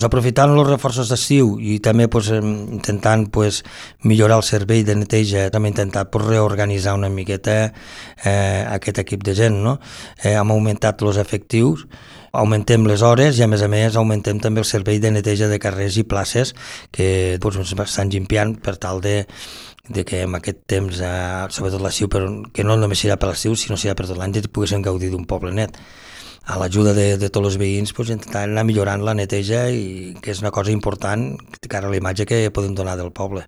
Aprofitant els reforços d'estiu i també intentant millorar el servei de neteja, hem intentat reorganitzar una miqueta aquest equip de gent. No? Hem augmentat els efectius, augmentem les hores i a més augmentem també el servei de neteja de carrers i places que estan limpiant per tal de que en aquest temps, sobretot l'estiu, però que no només serà per l'estiu, sinó serà per tot l'any, poguéssim gaudir d'un poble net. A l'ajuda de tots els veïns intentar anar millorant la neteja, i que és una cosa important de cara a la imatge que podem donar del poble.